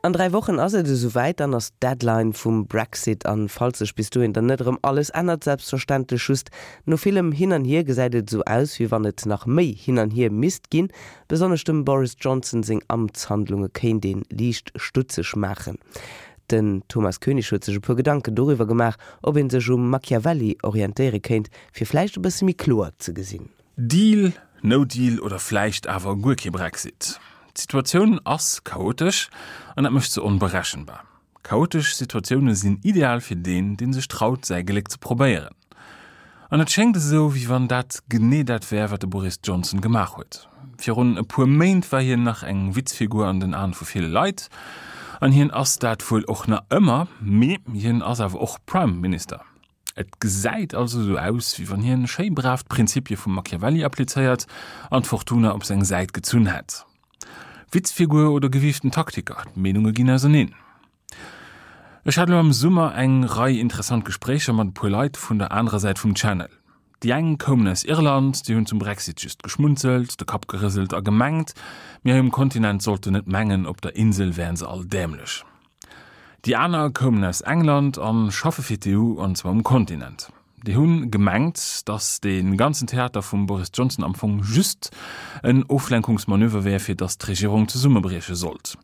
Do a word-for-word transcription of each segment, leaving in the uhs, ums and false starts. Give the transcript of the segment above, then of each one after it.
An dräi Wochen ass et esou wäit, dann ass d'Deadline vum Brexit an falls sech bis dohin dann net erëm alles ännert, selbstverständlech, just no villem Hin an Hier gesäit et esou aus, wéi wann et nach méi Hin an Hier misst ginn. Besonnesch dem Boris Johnson seng Amtshandlunge kéint ee liicht stutzeg maachen. Den Thomas Koenig huet sech e puer Gedanken doriwwer gemaach, ob ee sech um Machiavelli orientéiere kéint, fir vläicht e bësse méi kloer ze gesinn. Deal, no deal oder vläicht awer guer kee Brexit. D'Situatioun ass chaotesch an dat mécht se onberechenbar. Chaotesch Situatioune sinn ideal fir deen, dee sech traut, säi Gléck ze probéieren. An et schéngt esou, wéi wann dat genee dat wär, wat de Boris Johnson gemaach huet. Virun e puer Méint war hien nach eng Witzfigur an den Aen vu ville Leit, an hien ass dat wuel och nach ëmmer, mee hien ass awer och Prime Minister. Et gesäit also esou aus, wéi wann hien schéi brav d'Prinzipie vum Machiavelli applizéiert an d'Fortuna op seng Säit gezunn hätt. Witzfigur oder gewiiften Taktiker, d'Meenunge ginn auserneen. Ech hat elo am Summer eng Rei interessant Gespréicher mat e puer Leit vun der anerer Säit vum Channel. Déi eng koumen aus Irland, déi hunn zum Brexit just geschmunzelt, de Kapp gerëselt a gemengt, mir hei um Kontinent sollten net mengen, op der Insel wären se all däämlech. Déi aner koumen aus England a schaffe fir d'EU, an zwar um Kontinent. Déi hu gemengt, datt dee ganzen Theater vum Boris Johnson am Fong just en Oflenkungsmanöver wär, fir datt d'Regierung zesummebrieche sollt.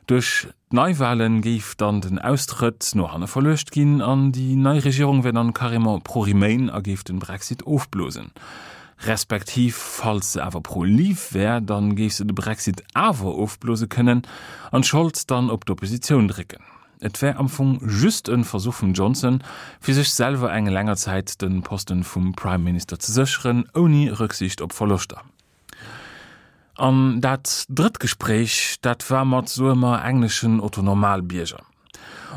Duerch d'Neiwale géif dann den Austrëtt no hanne verluecht ginn an déi nei Regierung wär dann carrément pro-Remain a géif den Brexit ofblosen. Respektiv, falls se awer pro-Leave wär, dann géif se de Brexit awer ofblose kënnen an d'Schold dann op d'Oppositioun drécken. Et wär am Fong just e Versuch vum Johnson, fir sech selwer eng länger Zäit de Posten vum Prime Minister ze sécheren, ouni Rücksicht op Verloschter. An dat drëtt Gespréich, dat war mat, soe mer, engleschen Otto-Normalbierger.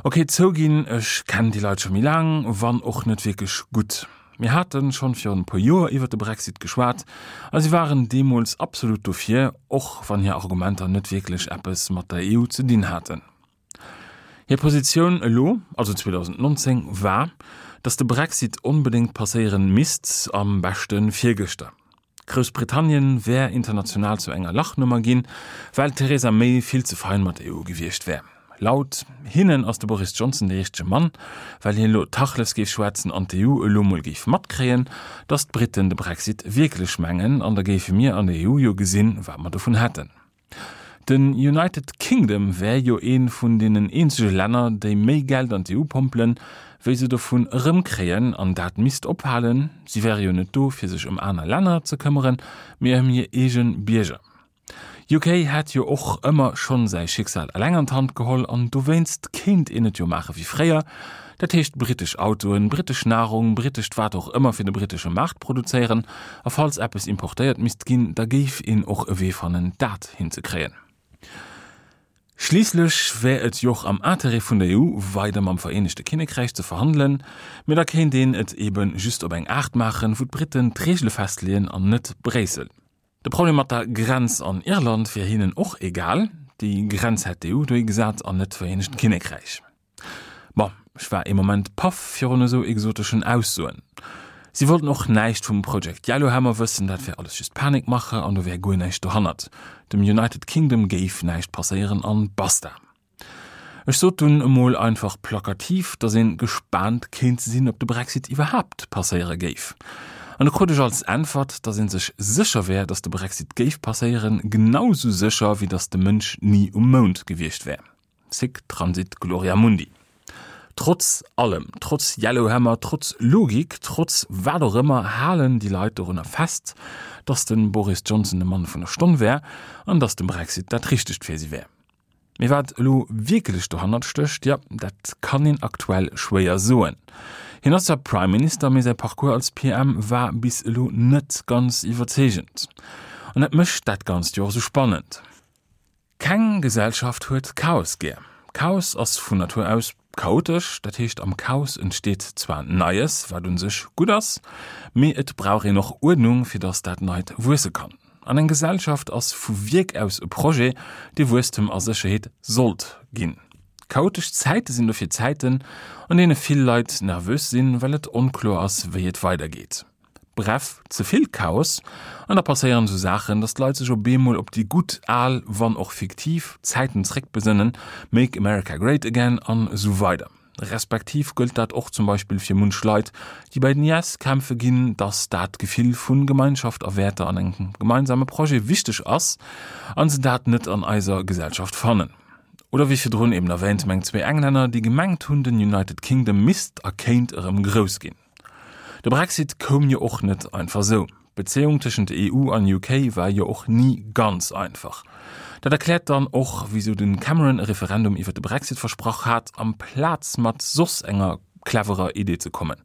Ok, zouginn, ech kennen déi Leit scho méi laang, wann och net wierklech gutt. Mir hate schonn virun e puer Joer iwwer de Brexit geschwat a si waren deemools absolut dofir, och wann hir Argumenter net wierklech eppes mat der EU ze dinn haten. Hir Positioun elo, also zweedausendnonzéng, war, datt de Brexit onbedéngt passéieren misst, am beschte virgëschter. Groussbritannien wär international zu enger Lachnummer ginn, well d'Theresa May vill ze fein mat der EU gewiescht wär. Laut hinnen ass de Boris Johnson de richtege Mann, well hien elo Tachles géif schwätzen an d'EU elo mol géif matkréien, datt d'Briten de Brexit wierklech mengen an da géife mir an der EU jo gesinn, wat mer dovun hätten. Den United Kingdom wär jo ee vun deenen eenzege Länner, déi méi Geld an d'EU pompelen, wéi se dovun erëmkréien, an dat misst ophalen. Si wäre jo net do, fir sech ëm aner Länner ze këmmeren, mee ëm hir eege Bierger. UK hätt jo och ëmmer schonn säi Schicksal eleng an d'Hand geholl an dowéinst kéint een et jo maache wéi fréier, dat heescht brittesch Autoen, brittesch Nahrung, brittescht wat och ëmmer fir de brittesche Maart produzéieren a falls eppes importéiert misst ginn, da géif een och e Wee fannen dat hinzekréien. Schliisslech wär et jo och am Interêt vun der EU, weider mam Vereenegte Kinnekräich ze verhandelen, mee da kéint een et eebe just op eng Aart maachen, wou d'Britten d'Reegele festleeën an net Bréissel. De Problem mat der Grenz an Irland wier hinnen och egal, déi Grenz hätt d'EU dohi gesat an net d'Vereenegt Kinnekräich. Bon, ech war ee Moment paff virun esou exoteschen Aussoen. Si wollten och näischt vum Project Yellowhammer wëssen, dat wär alles just Panikmache an do wär guer näischt dohannert. Dem United Kingdom géif näischt passéieren an basta. Ech sot dunn emol einfach plakativ, datt een gespaant kéint sinn, ob de Brexit iwwerhaapt passéiere géif. An du krut ech als Äntwert, datt een sech sécher wär, datt de Brexit géif passéieren, genau sou sécher, wéi datt de Mënsch ni um Mound gewiescht wär. Sic transit gloria mundi. Trotz allem, trotz Yellowhammer, trotz Logik, trotz wat och ëmmer, halen déi Leit dorunner fest, datt de Boris Johnson de Mann vun der Stonn wär an datt de Brexit dat Richtegt fir si wär. Mee wat elo wierklech dohannert stécht, jo, dat kann een aktuell schwéier soen. Hien ass zwar Prime Minister, mee säi Parcours als P M war bis elo net ganz iwwerzeegend. An dat mécht dat Ganzt jo och esou spannend. Keng Gesellschaft huet Chaos gär. Chaos ass vun Natur aus chaotesch, dat heescht am Chaos entsteet zwar Neies, wat un sech gutt ass, mee et brauch een och Uerdnung, fir datt dat Neit wuesse kann. An eng Gesellschaft ass vu Wierk aus e Projet, dee Wuesstem a Sécherheet sollt ginn. Chaotesch Zäite sinn dofir Zäiten, an deene vill Leit nervös sinn, well et onkloer ass, wéi et weidergeet. Bref, ze vill Chaos, an da passéieren sou Saachen, dass d'Leit sech op eemol op déi gutt al, wann och fiktiv, Zäiten zréckbesënnen, Make America Great Again an esou weider. Respektiv gëllt dat och zum Beispill fir munch Leit, déi bei den I S kämpfe ginn, dass dat Gefill vu Gemeinschaft a Wäerter an engem gemeinsame Projet wichteg ass an se dat net an eiser Gesellschaft fannen. Oder wéi virdrun eben erwähnt, meng zwee Englänner, déi gemengt hunn, den United Kingdom misst a kéint erëm grouss ginn. De Brexit koum jo och net einfach sou. D'Bezéiung tëschent E U an U K war jo och ni ganz einfach. Dat erkläert dann och, wisou den Cameron e Referendum iwwer de Brexit versprach hat, amplaz mat soss enger cleverer Idee ze kommen.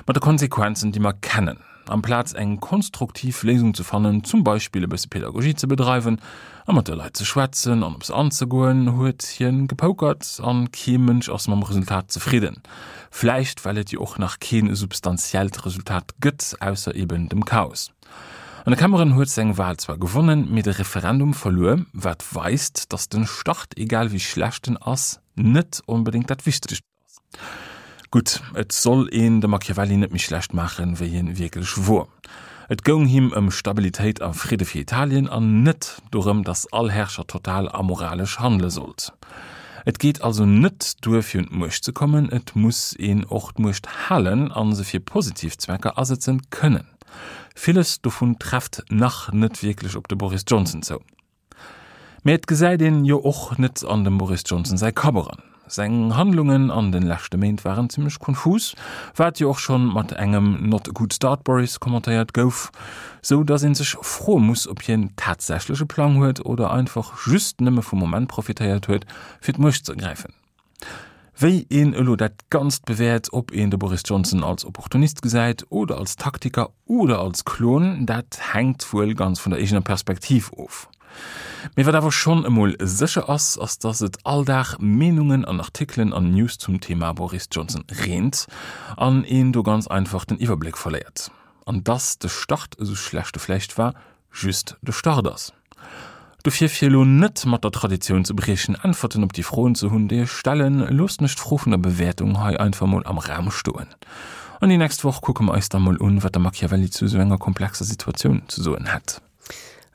Mat de Konsequenzen, déi mer kennen. Amplaz eng konstruktiv Léisung ze fannen, zum Beispill e bësse Pedagogie ze bedreiwen a mat de Leit ze schwätzen an op se anzegoen, huet hien gepokert an kee Mënsch ass mam Resultat zefridden. Vläicht well et jo och nach keen substantiellt Resultat gëtt, ausser eben dem Chaos. An de Cameron huet seng Wahl zwar gewonnen, mee de Referendum verluer, wat weist, dass den Start, egal wéi schlecht en ass, net onbedéngt dat Wichtegst ass. Gutt, et soll een de Machiavelli net méi schlecht maachen, wéi hien wierklech wor. Et goung him ëm Stabilitéit a Fridde fir Italien an net dorëm, dass all Herrscher total amoralesch handele sollt. Et geet also net duer fir un d'Muecht ze kommen, et muss een och d'Muecht halen an se fir positiv Zwecker asetzen kënnen. Villes dovun trefft nach net wierklech op de Boris Johnson zou. Mee et gesäit een jo och net an dem Boris Johnson säi Kapp eran. Seng Handlungen an den leschte Méint waren zimmlech konfus, wat jo och schonn mat engem "Not a good start Boris" kommentéiert gouf, sou dass een sech froe muss, ob hien tatsächlech e Plang huet oder einfach just nëmme vum Moment profitéiert huet, fir d'Muecht ze ergräifen. Wéi een elo dat Ganzt bewäert, ob een de Boris Johnson als Opportunist gesäit oder als Taktiker oder als Klon, dat hänkt wuel ganz vun der eegener Perspektiv of. Mee wat awer schonn emol sécher ass, ass dass et all Dag Meenungen an Artikelen an News zum Thema Boris Johnson reent an een do ganz einfach den Iwwerbléck verléiert. An dass de Start esou schlecht e vläicht war, just de Start ass. Dofir fir elo net mat der Traditioun ze briechen, Äntwerten op déi Froen ze hunn, déi ech stellen, loossen ech d'Fro vun der Bewäertung hei einfach mol am Raum stoen. An déi nächst Woch kucke mer eis da mol un, wat de Machiavelli zu sou enger komplexer Situatioun ze soen hätt.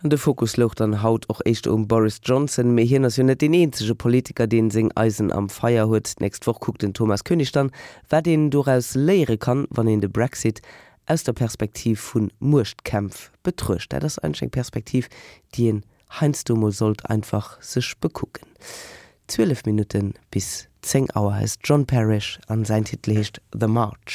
An de Fokus louch dann haut och éischter um Boris Johnson, mee hien ass jo net deen eenzege Politiker, deen seng Eisen am Feier huet. D'nächst Woch kuckt den Thomas Koenig dann, wat een doraus léiere kann, wann een de Brexit aus der Perspektiv vu Muechtkämpf betruecht. Dat ass eigentlech eng Perspektiv, déi een heiansdo mol sollt einfach sech bekucken. Zwielef Minutte bis zéng Auer. Hei ass John Parish an säin Titel heescht The March.